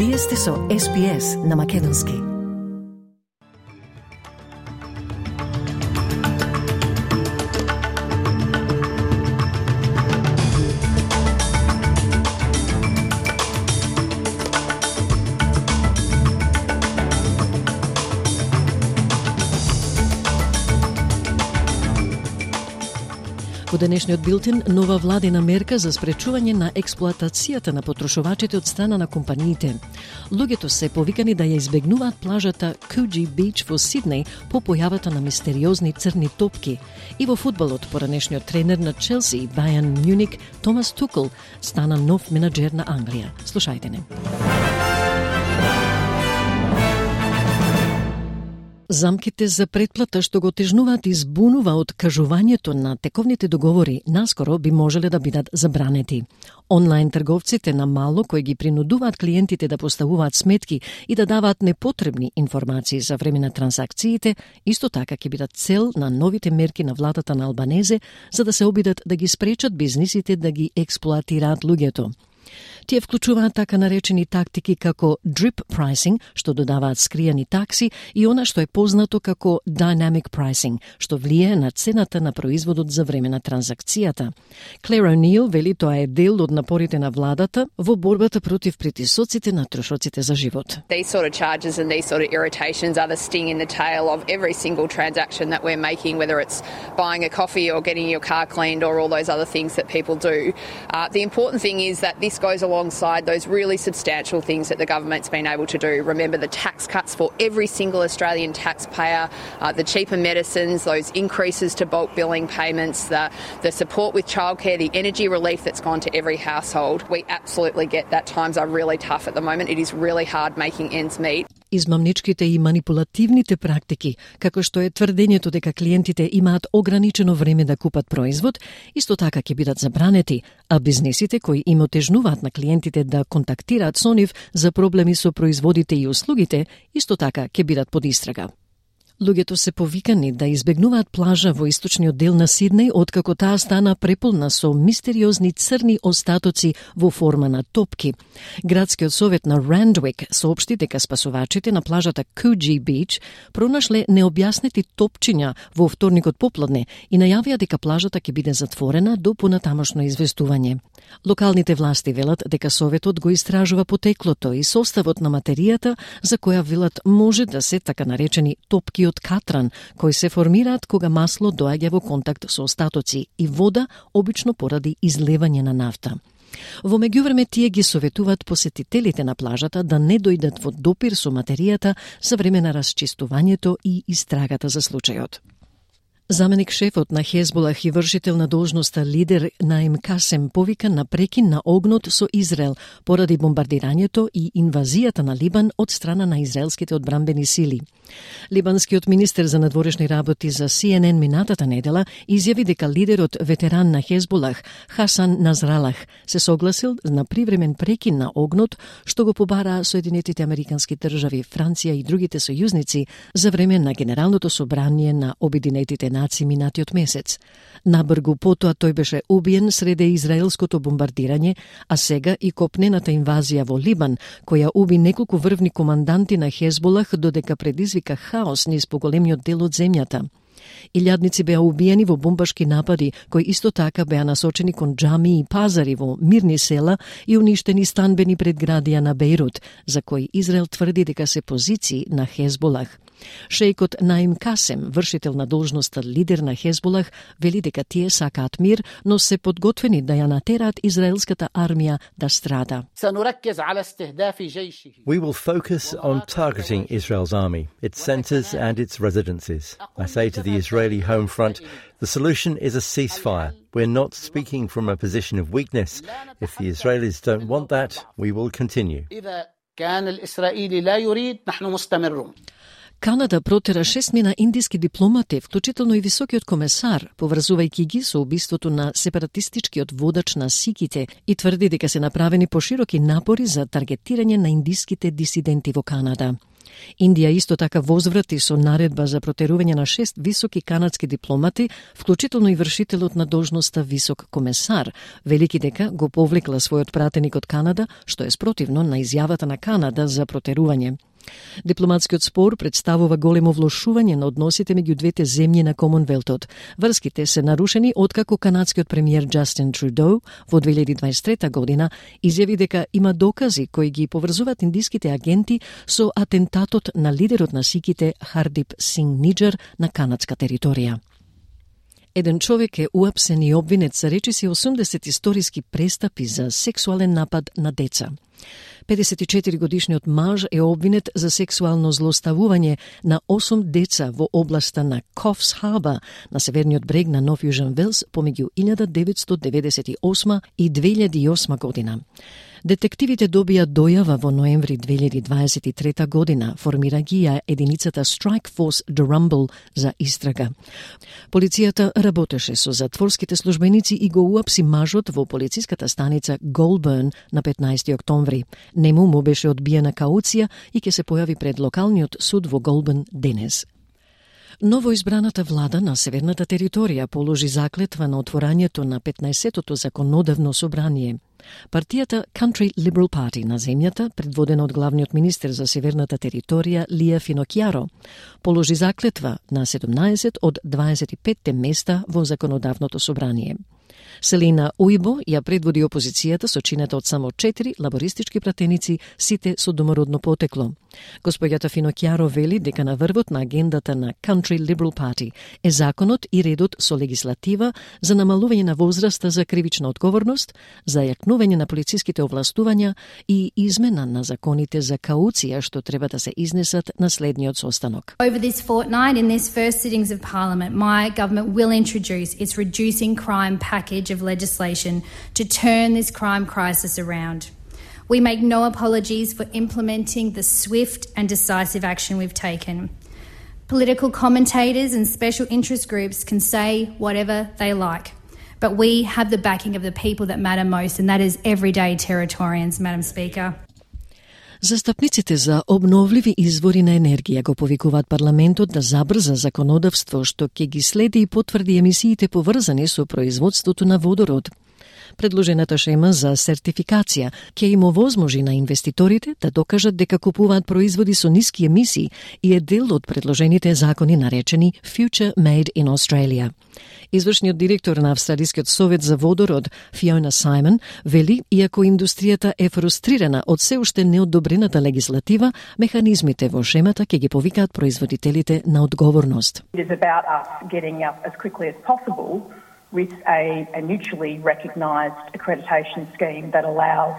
Вие сте со SPS на Македонски. Во денешниот билтен, нова владина мерка за спречување на експлоатацијата на потрошувачите од страна на компаниите. Луѓето се повикани да ја избегнуваат плажата Coogee Beach во Сиднеј по појавата на мистериозни црни топки. И во фудбалот, поранешниот тренер на Челси, Байерн Мюник, Томас Тухел, стана нов менаџер на Англија. Слушајте не. Замките за претплата што го тежнуваат и збунува од кажувањето на тековните договори наскоро би можеле да бидат забранети. Онлайн трговците на мало кои ги принудуваат клиентите да поставуваат сметки и да даваат непотребни информации за време на трансакциите, исто така ќе бидат цел на новите мерки на владата на Албанезе за да се обидат да ги спречат бизнисите да ги експлоатираат луѓето. Тие вклучуваат така наречени тактики како drip pricing, што додаваат скријани такси, и она што е познато како dynamic pricing, што влијае на цената на производот за време на транзакцијата. Клер О'Нил вели тоа е дел од напорите на владата во борбата против притисоците на трошоците за живот. These sort of charges and these sort of irritations are the sting in the tail of every single transaction that we're making, whether it's buying a coffee or getting your car cleaned or all those other things that people do. The important thing is that this goes alongside those really substantial things that the government's been able to do. Remember the tax cuts for every single Australian taxpayer, the cheaper medicines, those increases to bulk billing payments, the support with childcare, the energy relief that's gone to every household. We absolutely get that times are really tough at the moment. It is really hard making ends meet. Измамничките и манипулативните практики, како што е тврдењето дека клиентите имаат ограничено време да купат производ, исто така ќе бидат забранети, а бизнисите кои им отежнуваат на клиентите да контактираат со нив за проблеми со производите и услугите, исто така ќе бидат под истрага. Луѓето се повикани да избегнуваат плажа во источниот дел на Сиднеј, откако таа стана преполна со мистериозни црни остатоци во форма на топки. Градскиот совет на Randwick соопшти дека спасувачите на плажата Coogee Beach пронашле необјаснети топчиња во вторникот попладне и најавија дека плажата ќе биде затворена до понатамошно известување. Локалните власти велат дека советот го истражува потеклото и составот на материјата за која велат може да се така наречени топки од катран, кои се формираат кога масло доаѓа во контакт со остатоци и вода, обично поради излевање на нафта. Во меѓувреме тие ги советуваат посетителите на плажата да не дојдат во допир со материјата за време на расчистувањето и истрагата за случајот. Заменик шефот на Хезболах и вршител на должноста лидер Наим Касем повика на прекин на огнот со Израел поради бомбардирањето и инвазијата на Либан од страна на израелските одбранбени сили. Либанскиот министер за надворешни работи за CNN минатата недела изјави дека лидерот ветеран на Хезболах Хасан Назралах се согласил на привремен прекин на огнот што го побараа Соединетите Американски држави, Франција и другите сојузници за време на Генералното собрание на Обединетите нации минатиот месец. Набргу потоа тој беше убиен среде израелското бомбардирање, а сега и копнената инвазија во Либан, која уби неколку врвни команданти на Хезболах додека предизвика хаос низ поголемиот дел од земјата. Илјадници беа убиени во бомбашки напади, кои исто така беа насочени кон џами и пазари во мирни села и уништени станбени предградија на Бејрут, за кои Израел тврди дека се позиции на Хезболах. Шејкот Наим Касем, вршител на должноста лидер на Хезболах, вели дека тие сакаат мир, но се подготвени да ја натераат израелската армија да страда. We will focus on targeting Israel's army, its centers and its residences. I say to the Israeli home front, the solution is a ceasefire. We're not speaking from a position of weakness. If the Israelis don't want that, we will continue. Канада протера 6 индиски дипломати, вклучително и високиот комесар, поврзувајќи ги со убиството на сепаратистичкиот водач на сиките и тврди дека се направени пошироки напори за таргетирање на индиските дисиденти во Канада. Индија исто така возврати со наредба за протерување на 6 високи канадски дипломати, вклучително и вршителот на должноста висок комесар, велики дека го повлекла својот пратеник од Канада, што е спротивно на изјавата на Канада за протерување. Дипломатскиот спор представува големо влошување на односите меѓу двете земји на Комонвелтот. Врските се нарушени откако канадскиот премиер Джастин Трудо во 2023 година изјави дека има докази кои ги поврзуваат индиските агенти со атентатот на лидерот на сиките Хардип Синг Ниџар на канадска територија. Еден човек е уапсен и обвинет за речиси 80 историски престапи за сексуален напад на деца. 54-годишниот маж е обвинет за сексуално злоставување на 8 деца во областа на Coffs Harbour на северниот брег на Нов Јужен Велс помеѓу 1998 и 2008 година. Детективите добија дојава во ноември 2023 година, формира ги ја единицата Strike Force Durumble за истрага. Полицијата работеше со затворските службеници и го уапси мажот во полициската станица Goulburn на 15 октомври. Нему му беше одбиена кауција и ќе се појави пред локалниот суд во Goulburn денес. Новоизбраната влада на Северната територија положи заклетва на отворањето на 15-тото законодавно собрание. Партијата Country Liberal Party на земјата, предводена од главниот министер за Северната територија Лија Финокјаро, положи заклетва на 17 од 25 места во законодавното собрание. Селина Уибо ја предводи опозицијата со чинета од само 4 лабористички пратеници, сите со домородно потекло. Господјата Финокјаро вели дека на врвот на агендата на Country Liberal Party е законот и редот со легислатива за намалување на возраста за кривична одговорност, за јакнување на полициските овластувања и измена на законите за кауција што треба да се изнесат на следниот состанок. Over this fortnight in this first sittings of Parliament, my government will introduce its reducing crime package of legislation to turn this crime crisis around. We make no apologies for implementing the swift and decisive action we've taken. Political commentators and special interest groups can say whatever they like, but we have the backing of the people that matter most, and that is everyday Territorians, Madam Speaker. Застапниците за обновливи извори на енергија го повикуваат парламентот да забрза законодавство што ќе ги следи и потврди емисиите поврзани со производството на водород. Предложената шема за сертификација ќе им овозможи на инвеститорите да докажат дека купуваат производи со ниски емисии и е дел од предложените закони наречени Future Made in Australia. Извршниот директор на Австралискиот совет за водород, Фиона Саймон, вели, иако индустријата е фрустрирана од се уште неодобрената легислатива, механизмите во шемата ќе ги повикаат производителите на одговорност. It is about us getting up as quickly as possible with a mutually recognised accreditation scheme that allows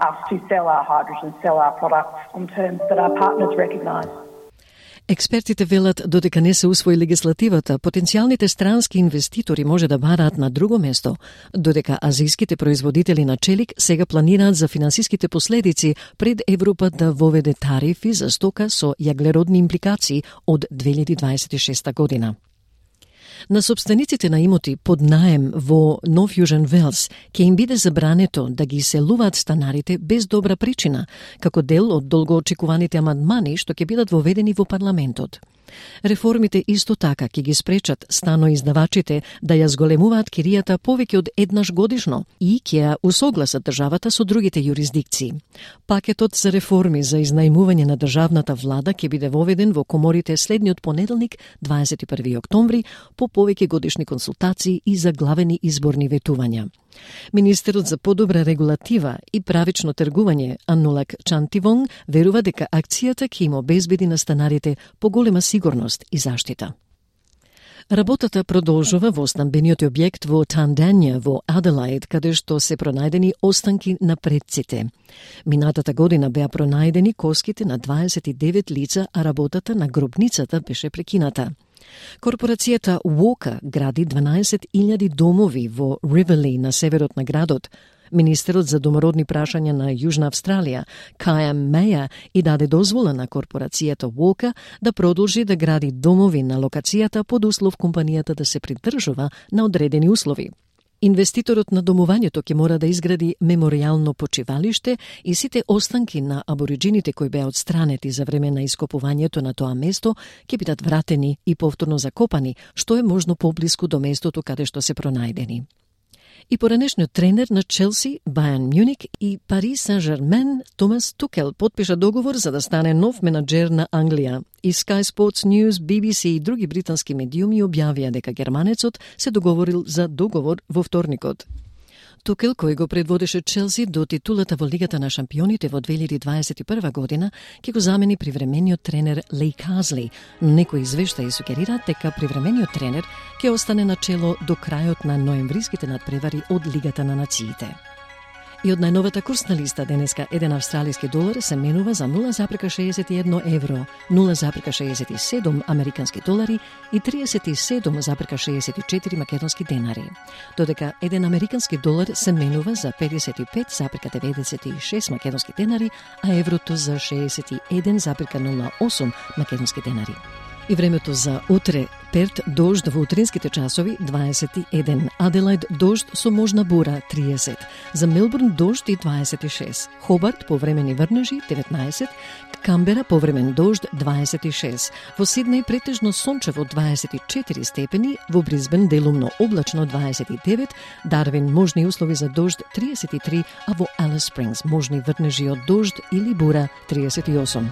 us to sell our hydrogen, sell our products on terms that our partners recognise. Експертите велат додека не се усвои легислативата, потенцијалните странски инвеститори може да бараат на друго место, додека азијските производители на челик сега планираат за финансиските последици пред Европа да воведе тарифи за стока со јаглеродни импликации од 2026 година. На собствениците на имоти под наем во Нов Јужен Велс ќе им биде забрането да ги иселуваат станарите без добра причина, како дел од долгоочекуваните амандмани што ќе бидат воведени во парламентот. Реформите исто така ќе ги спречат станоиздавачите да ја зголемуваат киријата повеќе од еднаш годишно и ќе ја усогласат државата со другите јурисдикции. Пакетот за реформи за изнајмување на државната влада ќе биде воведен во коморите следниот понеделник, 21 октомври, по повеќе годишни консултации и заглавени изборни ветувања. Министерот за подобра регулатива и правично тргување Анулак Чантивонг верува дека акцијата ќе им обезбеди на станарите поголема сигурност и заштита. Работата продолжува во стамбениот објект во Тандања во Аделаид, каде што се пронајдени останки на предците. Минатата година беа пронајдени коските на 29 лица, а работата на гробницата беше прекината. Корпорацијата Walker гради 12.000 домови во Ривели на северот на градот. Министерот за домородни прашања на Јужна Австралија, Кајам Меја, и даде дозвола на корпорацијата Walker да продолжи да гради домови на локацијата под услов компанијата да се придржува на одредени услови. Инвеститорот на домувањето ќе мора да изгради меморијално почивалиште и сите останки на абориджините кои беа отстранети за време на ископувањето на тоа место ќе бидат вратени и повторно закопани, што е можно поблиску до местото каде што се пронајдени. И поранешниот тренер на Челси, Бајерн Мјуник и Пари Сен-Жермен, Томас Тухел, подпиша договор за да стане нов менаџер на Англија. И Sky Sports News, BBC и други британски медиуми објавија дека германецот се договорил за договор во вторникот. Тухел, кој го предводеше Челси до титулата во Лигата на шампионите во 2021 година, ќе го замени привремениот тренер Леј Казли, но некои извештаи сугерираат дека привремениот тренер ќе остане на чело до крајот на ноемвриските надпревари од Лигата на нациите. И од најновата курсна листа денеска еден австралиски долар се менува за 0,61 евро, 0,67 американски долари и 37,64 македонски денари. Додека еден американски долар се менува за 55,96 македонски денари, а еврото за 61,08 македонски денари. И времето за утре: Перт дожд во утринските часови 21, Аделајд дожд со можна бура 30, за Мелбурн дожд и 26, Хобарт повремени врнежи 19, Камбера повремен дожд 26, во Сиднеј претежно сончево 24 степени, во Бризбен делумно облачно 29, Дарвин можни услови за дожд 33, а во Алис Спрингс можни врнежи од дожд или бура 38.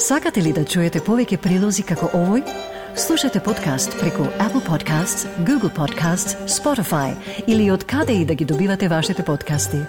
Сакате ли да чуете повеќе прилози како овој? Слушате подкаст преку Apple Podcasts, Google Podcasts, Spotify или од каде и да ги добивате вашите подкасти.